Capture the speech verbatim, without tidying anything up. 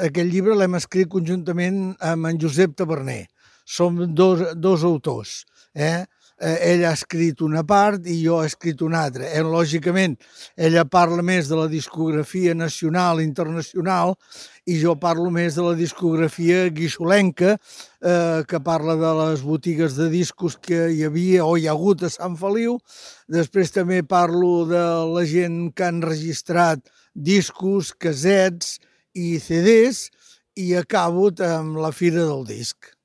aquest llibre l'hem escrit conjuntament amb en Josep Taverner. Som dos, dos autors. Eh? Ell ha escrit una part i jo he escrit una altra. Eh, lògicament, ella parla més de la discografia nacional i internacional i jo parlo més de la discografia guixolenca, eh, que parla de les botigues de discos que hi havia o hi ha hagut a Sant Feliu. Després també parlo de la gent que han registrat discos, casets i ce des i acabo amb la Fira del Disc.